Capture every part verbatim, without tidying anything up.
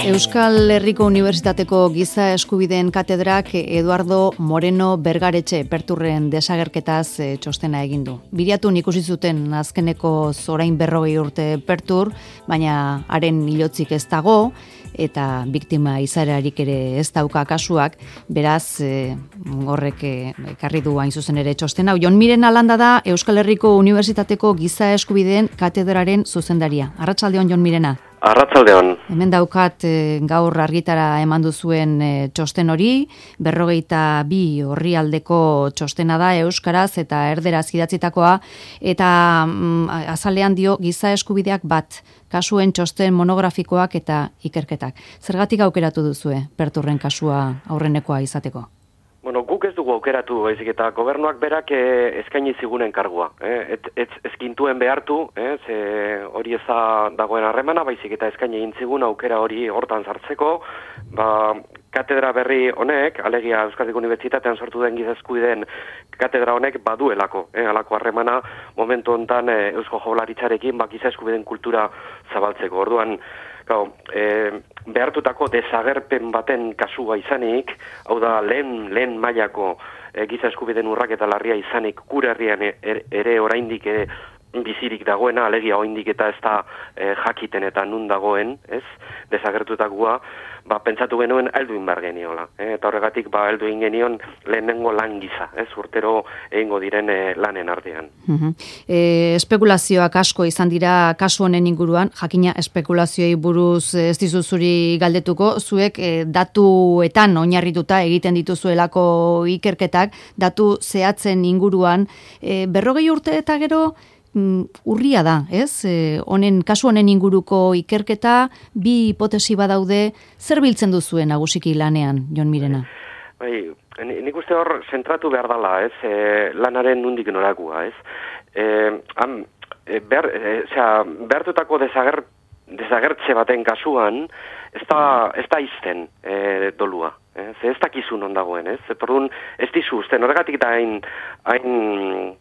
Euskal Herriko Unibertsitateko Giza Eskubideen Katedrak Eduardo Moreno Bergaretxe Perturren desagerketaz txostena egin du. Biriatun ikusi zuten azkeneko orain berrogei urte Pertur, baina haren hilotzik ez dago, eta biktima izaerarik ere ez dauka kasuak, beraz e, horrek ekarri du hain zuzen ere txostena. Jon Mirena Landa da Euskal Herriko Unibertsitateko Giza Eskubideen Katedraren zuzendaria. Arratsaldeon, Jon Mirena. Arratsaldeon. Hemen daukat e, gaur argitara eman duzuen e, txosten hori, berrogeita bi orrialdeko txostena da euskaraz eta erderaz idatzitakoa, eta mm, azalean dio giza eskubideak bat, kasuen txosten monografikoak eta ikerketak. Zergatik aukeratu duzue Perturren kasua aurrenekoa izateko? Bueno, guk ez dugu aukeratu, baizik eta gobernuak berak eh, eskaini zigunen kargua. Eh? Et, et, ezkintuen behartu, eh? Ze hori eza dagoen harremana, baizik eta eskaini egin zigun aukera hori hortan sartzeko. Ba, katedra berri honek, alegia Euskadiko Unibertsitatean sortu den giza eskubideen katedra honek baduelako. Eh? Alako harremana momentu hontan eh, Eusko Jaurlaritzarekin ba, giza eskubideen kultura zabaltzeko. Orduan, Gau, e, behartutako desagerpen baten kasua izanik, hau da lehen, lehen mailako e, giza eskubideen urraketa larria izanik gure herrian er, ere oraindik e, bizirik dagoena, alegia oraindik eta ez da e, jakiten eta nun dagoen, ez? Desagertutakoa, ba, pentsatu genuen heldu inbar geniola. Eh? Eta horregatik ba, heldu ingenion lehenengo lan giza, ez? Urtero egingo diren e, lanen artean. Uh-huh. E, espekulazioak asko izan dira kasu honen inguruan, jakina espekulazioei buruz ez dizuzuri galdetuko, zuek e, datuetan oinarrituta egiten dituzuelako ikerketak, datu zehatzen inguruan, e, berrogei urte eta gero, urria da, ez? E, honen, kasu honen inguruko ikerketa, bi hipotesi badaude, zer biltzen duzuen nagusiki lanean, Jon Mirena? Bai, nik uste hor zentratu behar dela, ez? E, lanaren nundik norakua, ez? E, han, e, behar, e, zera, behartutako desager, desagertze baten kasuan, ez da, ez da izten e, dolua. Ez, ez dakizun ondagoen, ez? Etordun, ez dizu, uste, horregatik da hain, hain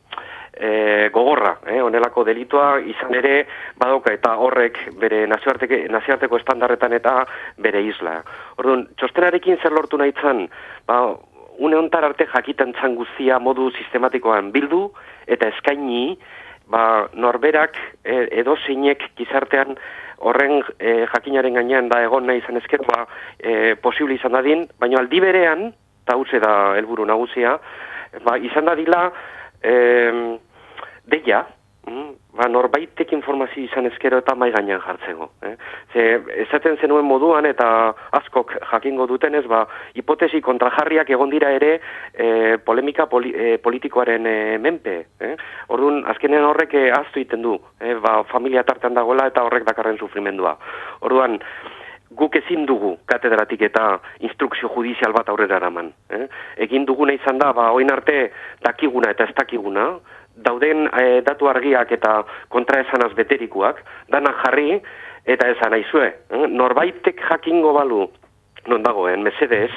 E, gogorra, eh, onelako delitua izan ere badauka eta horrek bere nazioarteko, nazioarteko estandarretan eta bere isla. Orduan, txostenarekin zer lortu nahi zan, ba, une hontar arte jakiten zan guztia modu sistematikoan bildu eta eskaini, ba, norberak e, edo zeinek gizartean horren e, jakinaren gainean da egon nahi izan ezkero ba, e, posible izan dadin, baina aldi berean, eta hutze da helburu nagusia, ba, izan dadila e, deia, mm, ba, norbaitek informazio izan ezkero eta mai gainean jartzeko. Eh? Ze, esaten zenuen moduan eta askok jakingo dutenez, ba, hipotesi kontrajarriak egon dira ere e, polemika poli, e, politikoaren e, menpe. Eh? Orduan, azkenean horrek e, ahaztu egiten du, eh? Ba, familia tartean dagoela eta horrek dakarren sufrimendua. Orduan, guk ezin dugu katedratik eta instrukzio judizial bat aurrera eraman. Eh? Egin duguna izan da, ba, oin arte dakiguna eta ez dakiguna, dauden e, datu argiak eta kontraesanaz beterikuak, dana jarri eta esan aizue. Eh? Norbaitek jakingo balu, non dagoen, mesedez,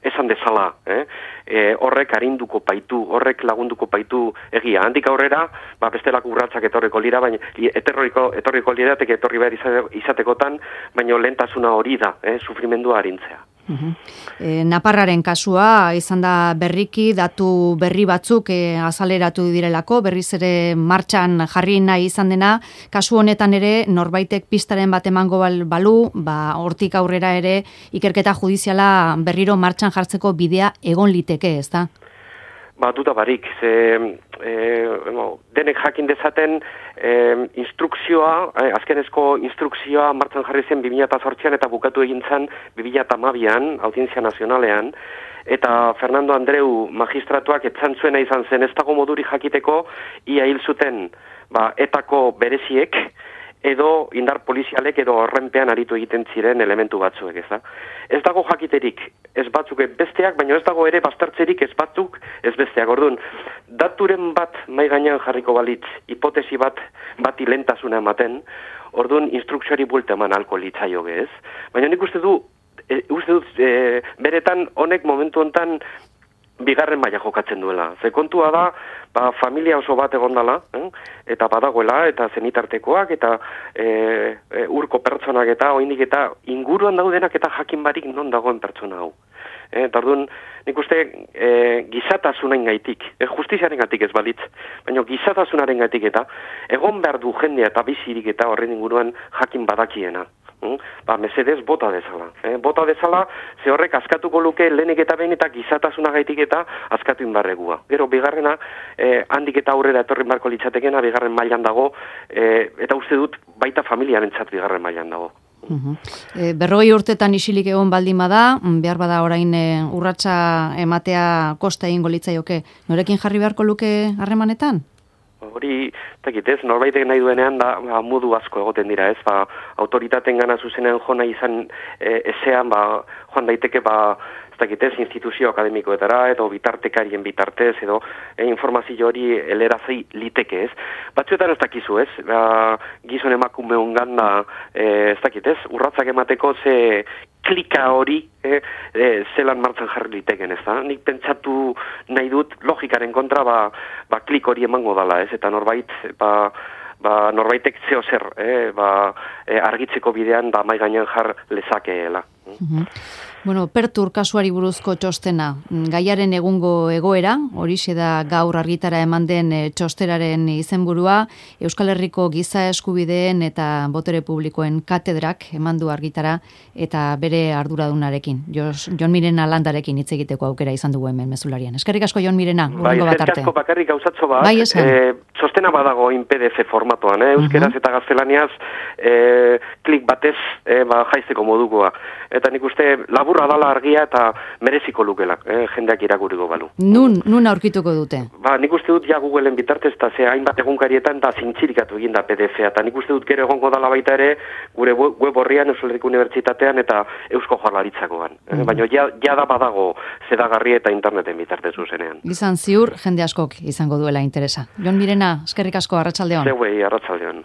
esan dezala. Eh? E, horrek arinduko paitu, horrek lagunduko paitu egia. Handik aurrera, ba, bestelako urratsak etorriko lira, baina etorriko, etorriko lirateke etorri behar izatekotan, baina lehentasuna hori da, eh? Sufrimendua arintzea. Uh-huh. E, Naparraren kasua izan da berriki, datu berri batzuk e, azaleratu direlako, berriz ere martxan jarri nahi izan dena, kasu honetan ere norbaitek pistaren bat emango balu, ba, hortik aurrera ere ikerketa judiziala berriro martxan jartzeko bidea egon liteke, ez da? Ba, duda barik, ze, e, no, denek jakin dezaten e, instrukzioa, e, azkenezko instrukzioa martzan jarri zen bi mila zortzian eta bukatu egin zen bi mila hamabian, Audientzia Nazionalean, eta Fernando Andreu magistratuak etzan zuena izan zen ez dago moduri jakiteko ia hil zuten ba, etako bereziek, edo indar polizialek edo horrenpean aritu egiten ziren elementu batzuek, ez da? Ez dago jakiterik, ez batzuk besteak, baina ez dago ere baztertzerik ez batzuk ez besteak. Orduan, daturen bat mai gainean jarriko balitz, hipotesi bat bati lehentasuna ematen, orduan instrukzioari buelta eman alko litzaioge, ez? Baina nik uste du, e, uste dut, e, beretan honek momentu hontan bigarren maila jokatzen duela. Ze kontua da, ba, familia oso bat egon dela, eh? Eta badagoela, eta zenitartekoak, eta e, e, urko pertsonak eta oindik eta inguruan daudenak eta jakin barik non dagoen pertsona hau. Eh, eta orduan, nik uste e, gizatasunaren gaitik, e, justiziaren gaitik ez balitz, baina gizatasunaren gaitik eta egon behar du jendea eta bizirik eta horren inguruan jakin badakiena. Mm? Ba, mesedez, bota dezala. Eh? Bota dezala, ze horrek askatuko luke lehenik eta behin eta gizatasuna gaitik eta askatu inbarregua. Gero, bigarrena, eh, handik eta aurrera etorrin barko litzatekena, bigarren mailan dago, eh, eta uste dut baita familiaren txat bigarren mailan dago. Uhum. E, berrogei urtetan isilik egon baldin bada, behar bada orain e, urratsa ematea kosta egingo litzaioke, norekin jarri beharko luke harremanetan? Hori, tekit ez, norbaitek nahi duenean da ba, modu asko egoten dira ez, ba, autoritaten gana zuzenean jona izan e, ezean, ba, joan daiteke, ba, ez dakit ez, instituzio akademikoetara, edo bitartekarien bitartez, edo e, informazio hori elerazei liteke ez. Batzuetan ez dakizu ez, ba, gizon emakume hongan da, e, ez dakit ez, urratzak emateko ze klika hori e, e, zelan martzan jarri liteken ez da. Nik pentsatu nahi dut logikaren kontra ba, ba klik hori emango dala ez, eta norbait ba, ba, norbaitek zeo zer eh, ba, e, argitzeko bidean da mai gainean jar lezakeela. Mm-hmm. Bueno, Pertur kasuari buruzko txostena, gaiaren egungo egoera, horixe da gaur argitara eman den txosteraren izenburua, Euskal Herriko giza eskubideen eta botere publikoen katedrak eman du argitara eta bere arduradunarekin, Jon Mirena Landarekin hitz egiteko aukera izan dugu hemen mezularian. Eskerrik asko Jon Mirena, bai, urrengo bat arte. Eskerrik asko bakarrik gauzatxo bat, bai, e, txostena badago in P D F formatoan, eh? Euskeraz uh-huh. eta gaztelaniaz e, klik batez e, ba, jaizteko modukoa. Eta nik uste laburra dala argia eta mereziko lukela, eh, jendeak irakurriko balu. Nun, nun aurkituko dute? Ba, nik uste dut ja Googleen bitartez, eta ze hainbat egunkarietan da zintzirikatu egin da P D F-a, eta nik uste dut gero egongo dala baita ere gure web horrian Euskal Herriko Unibertsitatean eta Eusko Jaurlaritzakoan. Mm. Eh, baina ja, ja da badago zedagarri eta interneten bitartez zuzenean. Izan ziur, jende askok izango duela interesa. Jon Mirena, eskerrik asko, arratsaldeon. Zeuei, arratsaldeon.